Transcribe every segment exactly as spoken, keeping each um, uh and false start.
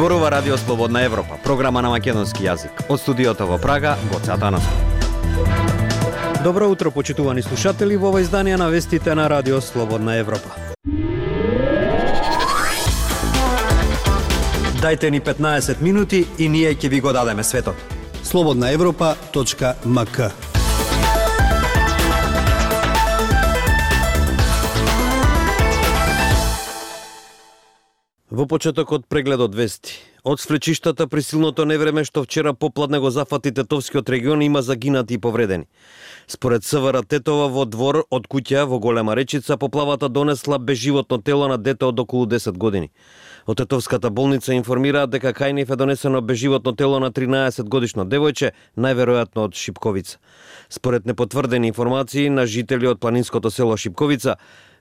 Зборува Радио Слободна Европа, програма на македонски јазик. Од студиото во Прага, Гоце Атанасов. Добро утро, почитувани слушатели, во ова издание на вестите на Радио Слободна Европа. Дајте ни петнаесет минути и ние ќе ви го дадеме светот. слободна европа точка ем ка. Во почетокот прегледот вести. Од свлечиштата при силното невреме што вчера попладне го зафати Тетовскиот регион има загинати и повредени. Според СВР Тетова во двор од куќа во Голема Речица поплавата донесла безживотно тело на дете од околу десет години. Од Тетовската болница информираат дека кај нив е донесено безживотно тело на тринаесет годишно девојче, најверојатно од Шипковица. Според непотврдени информации на жители од планинското село Шипковица,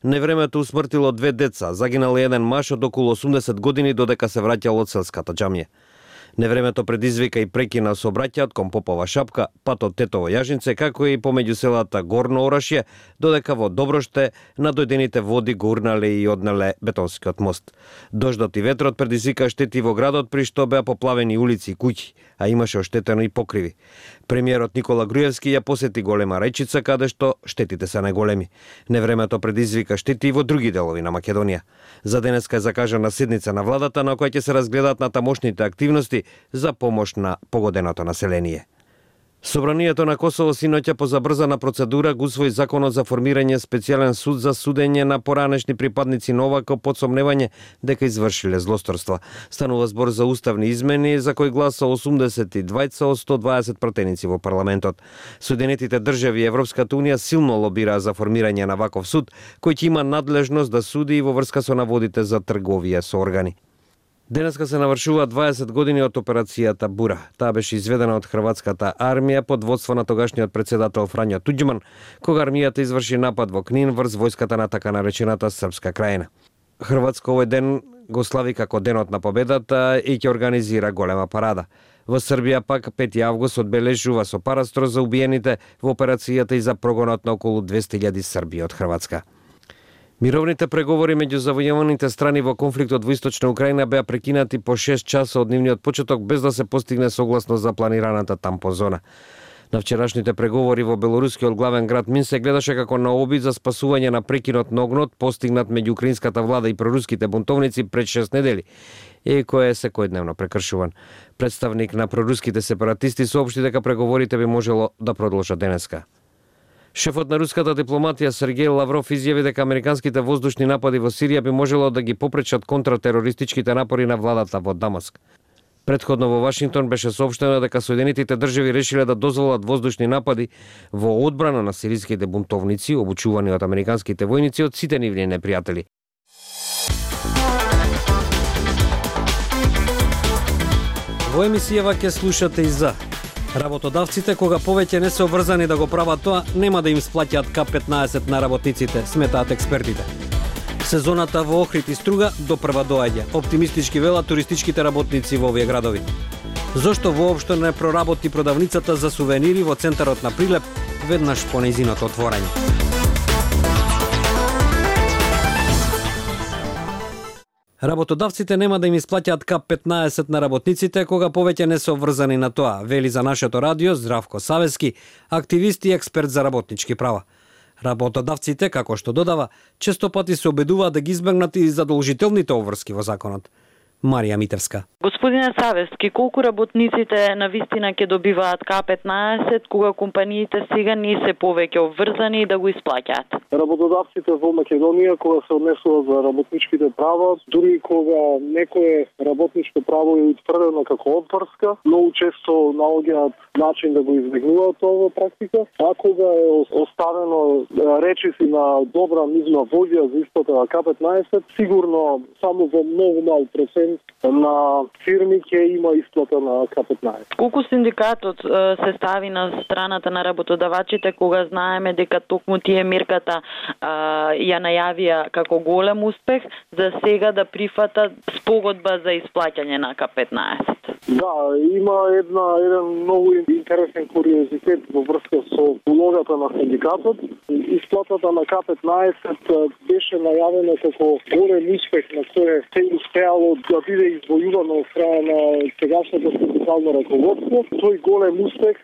невремето усмртило две деца, загинал еден маж од околу осумдесет години додека се враќал од селската џамија. Невремето предизвика и прекина сообраќајот кон Попова Шапка, патот Тетово Јажинце, како и помеѓу селата Горно Орашје, додека во Доброште надојдените води го урнале и однеле бетонскиот мост. Дождот и ветрот предизвика штети во градот, при што беа поплавени улици и куќи, а имаше оштетено и покриви. Премиерот Никола Груевски ја посети Голема Речица, каде што штетите се најголеми. Невремето предизвика штети и во други делови на Македонија. За денеска е закажана седница на владата на која ќе се разгледаат натамошните активности за помош на погоденото население. Собранието на Косово синоќа по забрзана процедура го усвои законот за формирање специјален суд за судење на поранешни припадници на ОВК под сомневање дека извршиле злосторства. Станува збор за уставни измени за кои гласа осумдесет и двајца од сто дваесет пратеници во парламентот. Соединетите држави и Европската унија силно лобираа за формирање на ваков суд, кој ќе има надлежност да суди и во врска со наводите за трговија со органи. Денеска се навршува дваесет години од операцијата Бура. Таа беше изведена од хрватската армија под водство на тогашниот председател Фрањо Туѓман, кога армијата изврши напад во Книн врз војската на така наречената Српска крајина. Хрватска овој ден го слави како денот на победата и ќе организира голема парада. Во Србија пак пети август одбележува со парастро за убиените во операцијата и за прогонот на околу двесте илјади Срби од Хрватска. Мировните преговори меѓу завојуваните страни во конфликтот во Источна Украина беа прекинати по шест часа од нивниот почеток без да се постигне согласност за планираната тампозона. На вчерашните преговори во белорускиот главен град Минск се гледаше како на обид за спасување на прекинот на огнот постигнат меѓу украинската влада и проруските бунтовници пред шест недели, и кој е секојдневно прекршуван. Представник на проруските сепаратисти соопшти дека преговорите би можело да продолжат денеска. Шефот на руската дипломатија Сергеј Лавров изјави дека американските воздушни напади во Сирија би можело да ги попречат контратерористичките напори на владата во Дамаск. Претходно во Вашингтон беше соопштено дека Соединетите држави решиле да дозволат воздушни напади во одбрана на сириските бунтовници, обучувани од американските војници од сите нивни непријатели. Во емисијава ќе слушате и за работодавците, кога повеќе не се обврзани да го прават тоа, нема да им сплаќаат К петнаесет на работниците, сметаат експертите. Сезоната во Охрид и Струга допрва доаѓа. Оптимистички велат туристичките работници во овие градови. Зошто воопшто не проработи продавницата за сувенири во центарот на Прилеп веднаш по нејзиното отворање? Работодавците нема да им исплаќаат К петнаесет на работниците кога повеќе не се обврзани на тоа, вели за нашето радио Здравко Савески, активист и експерт за работнички права. Работодавците, како што додава, често пати се обидуваат да ги избегнат и задолжителните обврски во законот. Марија Митевска. Господине Савески, колку работниците на вистина ќе добиваат К петнаесет кога компаниите сега не се повеќе обврзани да го исплаќаат? Работодавците во Македонија кога се однесува за работничките права, дури кога некое работничко право е утврдено како обврска, многу често наоѓаат начин да го избегнуваат ова практика, а кога е оставено речиси на добра нивна воља за исплата на К петнаесет, сигурно само во многу мал процент на фирми ќе има исплата на К петнаесет. Колку синдикатот се стави на страната на работодавачите кога знаеме дека токму тие мерката а, ја најавија како голем успех за сега да прифатат спогодба за исплаќање на К петнаесет? Да, има една еден многу интересен куриозитет во врска со улогата на синдикатот. Исплатата на К петнаесет беше најавена како голем успех на кој се успеало да биде извојувано од страна на сегашното синдикално раководство. Тој голем успех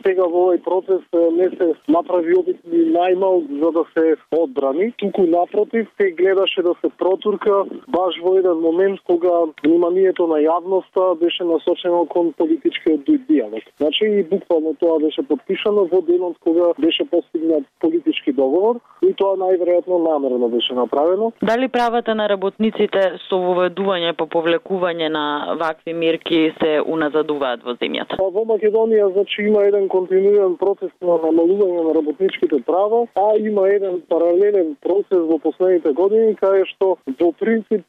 сега во овој процес не се направи обидни најмал за да се одбрани. Туку напротив, се гледаше да се протурка баш во еден момент кога вниманието на јавноста беше насочено кон политичкиот диалог. Значи и буквално тоа беше подпишано во денот кога беше постигнат политички договор и тоа најверојатно намерно беше направено. Дали правата на работниците со воведување по повлекување на вакви мерки се уназадуваат во земјата? Во Македонија значи има еден континуиран процес на намалување на работничките права, а има еден паралелен процес во последните години каде што во принцип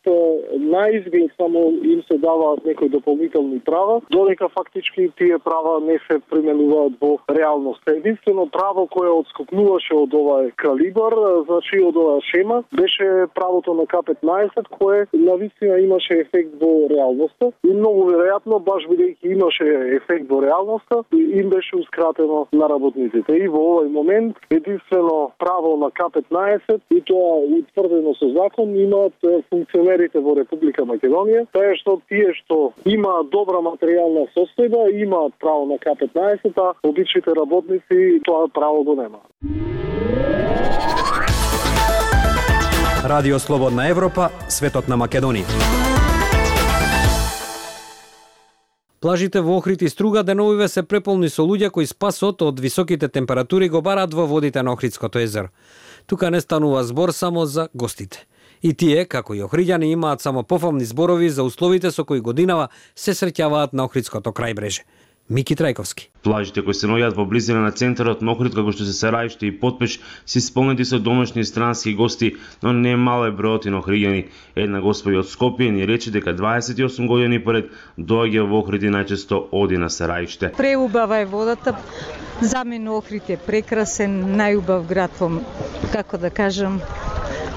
на изглед само им се даваат некои дополнителни права, додека фактички тие права не се применуваат во реалност. Единствено право кое отскокнуваше од овај калибар, значи од оваа шема, беше правото на К петнаесет кое навистина имаше ефект во реалноста и многу веројатно баш бидејќи имаше ефект во реалноста им беше ускратено на работниците. И во овој момент единствено право на К петнаесет и тоа утврдено со закон имаат функционерите во Република Македонија, тоа што тие што имаат добра материјална состојба имаат право на К петнаесет, а обичните работници тоа право го немаат. Радио Слободна Европа, светот на Македонија. Плажите во Охрид и Струга деновиве се преполни со луѓе кои спасот од високите температури го бараат во водите на Охридското езеро. Тука не станува збор само за гостите. И тие, како и охриѓани, имаат само пофамни зборови за условите со кои годинава се среќаваат на Охридското крајбреже. Мики Трајковски. Плажите кои се наоѓаат во близина на центарот на Охрид, како што се Сарајште и Потпеш, се исполнети со домашни и странски гости, но не мал е бројот и на охриѓани. Една господја од Скопје ни рече дека дваесет и осум години поред доаѓа во Охрид и најчесто оди на Сарајште. Преубава е водата. За мене Охрид е прекрасен, најубав град во, како да кажам,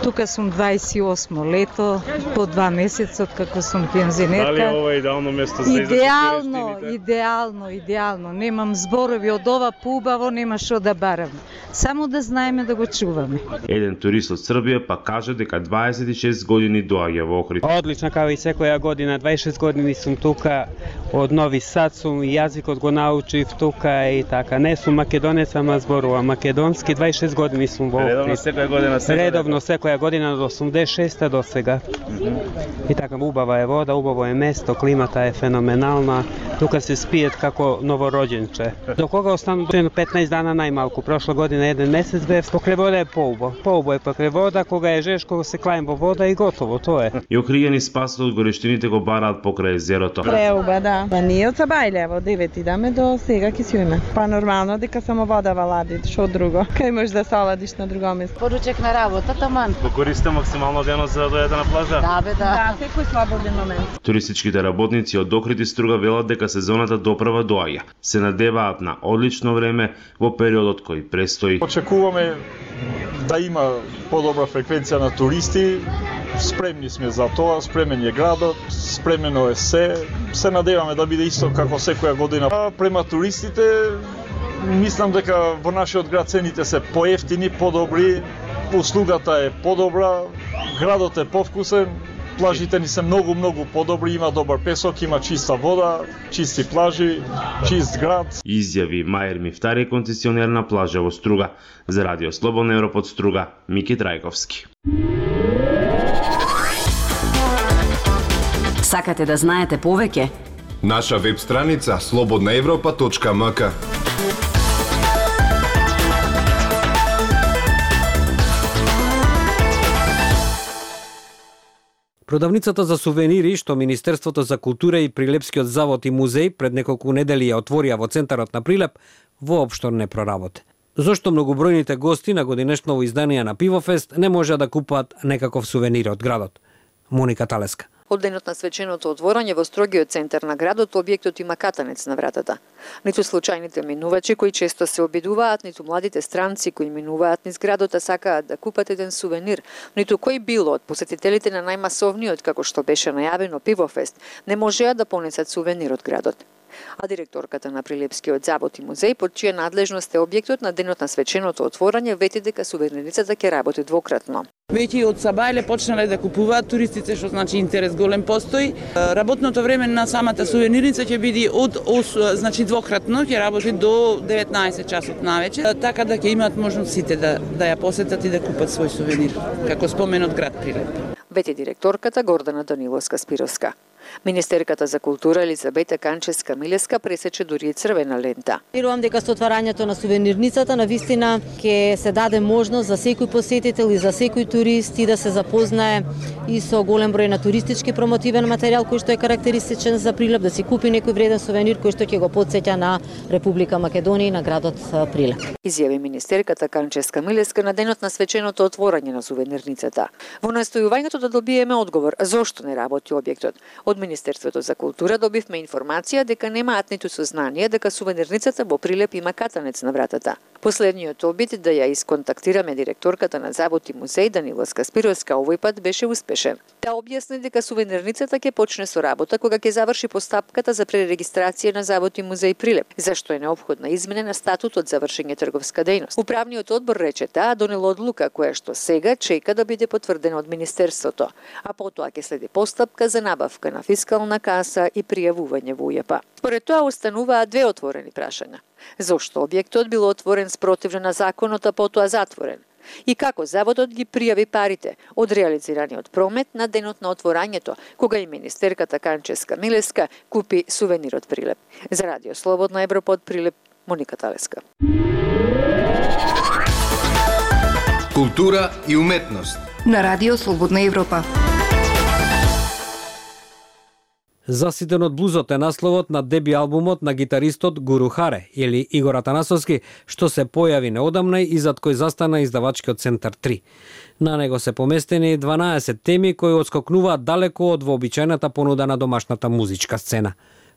тука сум дваесет и осмо лето, по два месеца од како сум пензионерка. Дали е ова идеално место за идеално, идеално, идеално. Немам зборови од ова поубаво, нема што да барам. Само да знаеме да го чуваме. Еден турист од Србија па кажа дека дваесет и шест години доаѓа во Охрид. Одлично, како и секоја година, дваесет и шест години сум тука, од Нови Сад сум, јазикот го научив тука и така. Не сум македонец, ама зборувам македонски, дваесет и шест години сум во Охрид. Редовно секоја година се Редовно секоја година од осумдесет и шеста до сега. Mm -hmm. И така, убава е вода, убаво е место, климата е феноменална. Тука се спиет како новороđенче. До кога остану петнаесет дана најмалку. Прошла година еден месец бев, покрај вода е поубо. Поубо е покрај вода, кога е жешко се клајм во вода и готово, тоа е. И охриѓани спасот од горештините го бараат покрај езерото. Преуба, да. Па ние од Сабајле, во девет идаме до сега ки си уме. Па нормално дека само вода валади, што друго. Кај можеш да се оладиш на друго место. Поручек на работа, таман. Го користите максимално денот за да дојдете на плажа? Да, бе, да. Да, секој слободен момент. Туристичките работници од Охрид и Струга велат дека сезоната доправа доаѓа. Се надеваат на одлично време во периодот кој престои. Очекуваме да има подобра фреквенција на туристи. Спремни сме за тоа, спремен е градот, спремено е се. Се надеваме да биде исто како секоја година. А према туристите, мислам дека во нашиот град цените се поевтини, подобри, услугата е подобра, градот е повкусен. Плажите ни се многу, многу подобри, има добар песок, има чиста вода, чисти плажи, чист град. Изјави Мајер Мифтари, концесионер на плажа во Струга. За Радио Слободна Европа од Струга, Мики Трајковски. Сакате да знаете повеќе? Наша веб страница слободна европа точка ем ка. Продавницата за сувенири што Министерството за култура и Прилепскиот завод и музеј пред неколку недели ја отворија во центарот на Прилеп, воопшто не проработи. Зошто многобројните гости на годинешново издание на Пивофест не може да купат некаков сувенир од градот? Моника Талеска. Од денот на свеченото отворање во строгиот центар на градот, објектот има катанец на вратата. Ниту случајните минувачи кои често се обидуваат, ниту младите странци кои минуваат низ градот а сакаат да купат еден сувенир, ниту кој било од посетителите на најмасовниот, како што беше најавено, Пивофест, не можеа да понесат сувенир од градот. А директорката на Прилепскиот завод и музеј, под чија надлежност е објектот, на денот на свеченото отворање вети дека сувенирницата ќе работи двократно. Веќе од Сабајле почнале да купуваат туристите, што значи интерес голем постои. Работното време на самата сувенирница ќе биде од значи двократно, ќе работи до деветнаесет часот навечер, така да ќе имаат можност сите да да ја посетат и да купат свој сувенир, како спомен од град Прилеп. Вети директорката Гордана Даниловска-Спировска. Министерката за култура Елизабета Канческа-Милеска пресече дури и црвена лента. Верувам дека со отварањето на сувенирницата на вистина ќе се даде можност за секој посетител и за секој турист и да се запознае и со голем број на туристички промотивен материјал кој што е карактеристичен за Прилеп, да си купи некој вреден сувенир кој што ќе го потсеќа на Република Македонија и на градот Прилеп. Изјави министерката Канческа-Милеска на денот на свеченото отворање на сувенирницата. Во настојувањето да добиеме одговор зошто не работи објектот, од Министерството за култура добивме информација дека немаат ниту сознание дека сувенирницата во Прилеп има катанец на вратата. Последниот обид да ја исконтактираме директорката на завод и музеј Даниловска-Спировска овој пат беше успешен. Таа објасни дека сувенирницата ќе почне со работа кога ќе заврши постапката за пререгистрација на завод и музеј Прилеп, зашто е неопходна измена на статутот за вршење трговска дејност. Управниот одбор рече таа донела одлука која што сега чека да биде потврдена од министерството, а потоа ќе следи постапка за набавка на фискална каса и пријавување во УЈП. Според тоа остануваат две отворени прашања. Зошто објектот бил отворен спротивно на законот, а потоа затворен? И како заводот ги пријави парите од реализираниот промет на денот на отворањето, кога и министерката Канческа-Милеска купи сувенир од Прилеп. За Радио Слободна Европа од Прилеп, Моника Талеска. Култура и уметност на Радио Слободна Европа. Заситен од блузот е насловот на деби албумот на гитаристот Гуру Харе или Игор Атанасовски, што се појави неодамна и зад кој застана издавачкиот Центар три. На него се поместени дванаесет теми кои отскокнуваат далеко од вообичајната понуда на домашната музичка сцена.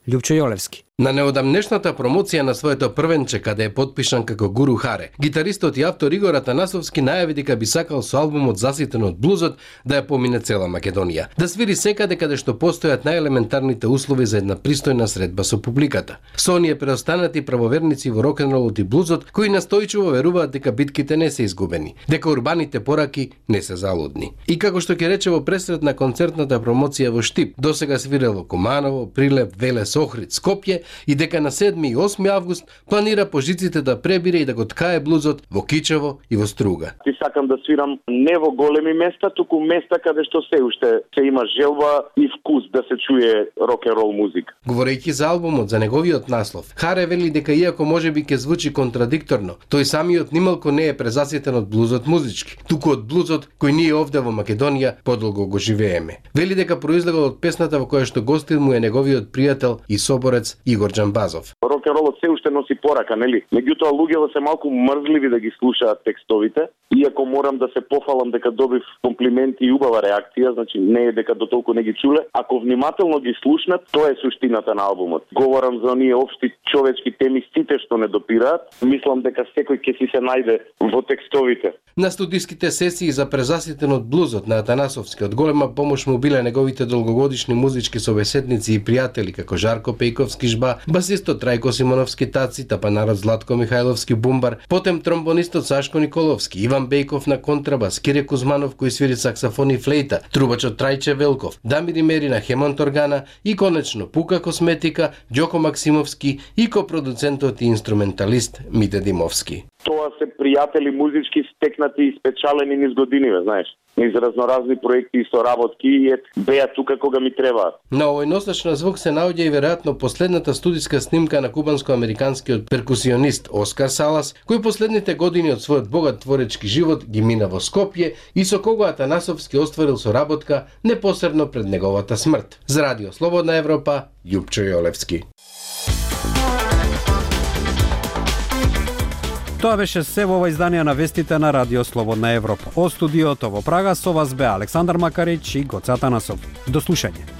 Љупчо Јолевски. На неодамнешната промоција на своето првенче, каде е подпишан како Гуру Харе, гитаристот и автор Игор Атанасовски најави дека би сакал со албумот Заситен од блузот да ја помине цела Македонија. Да свири секаде каде што постојат најелементарните услови за една пристојна средба со публиката. Со оние преостанати правоверници во рок-н-ролот и блузот, кои настојчиво веруваат дека битките не се изгубени, дека урбаните пораки не се залудни. И како што ќе рече во пресред на концертната промоција во Штип, досега свирел во Куманово, Прилеп, Велес, Охрид, Скопје, и дека на седми и осми август планира по жиците да пребире и да го ткае блузот во Кичево и во Струга. Ти сакам да свирам не во големи места, туку места каде што се уште се има желба и вкус да се чуе рок-н-рол музика. Говорејќи за албумот, за неговиот наслов, Харе вели дека иако можеби ќе звучи контрадикторно, тој самиот нималку не е презаситен од блузот музички, туку од блузот кој ние овде во Македонија подолго го живееме. Вели дека произлегол од песната во која што гостил му е неговиот пријател и соборец Игор Џамбазов. Рок-н-ролот се уште носи порака, нели? Меѓутоа луѓето се малку мрзливи да ги слушаат текстовите, иако морам да се пофалам дека добив комплименти и убава реакција, значи не е дека дотолку не ги чуле. Ако внимателно ги слушнат, тоа е суштината на албумот. Говорам за оние општи човечки теми, сите што не допираат. Мислам дека секој ќе си се најде во текстовите. На студиските сесии за презаситен од блузот на Атанасовски од голема помош му биле неговите долгогодишни музички собеседници и пријатели како Жарко Пејковски Жба, басистот Трајко Симоновски Таци, тапанарот Златко Михајловски Бумбар, потем тромбонистот Сашко Николовски, Иван Бејков на контрабас, Кире Кузманов кој свири саксофон и флейта, трубачот Трајче Велков, Дамир Мерина Хемонт органа и конечно Пука Косметика, Ѓоко Максимовски и копродуцентот и инструменталист Мите Димовски. Тоа се пријатели музички стекнати и спечалени низ годиниве, знаеш. Низ разноразни проекти и соработки и ет беа тука кога ми требаат. На овој носач на звук се наоѓа и веројатно последната студиска снимка на кубанско-американскиот перкусионист Оскар Салас, кој последните години од својот богат творечки живот ги мина во Скопје и со кого Атанасовски остварил соработка непосредно пред неговата смрт. За Радио Слободна Европа, Љупчо Јолевски. Тоа беше се во ова издание на вестите на Радио Слободна Европа. Од студиото во Прага со вас бе Александар Макарич и Гоце Атанасов. До слушање.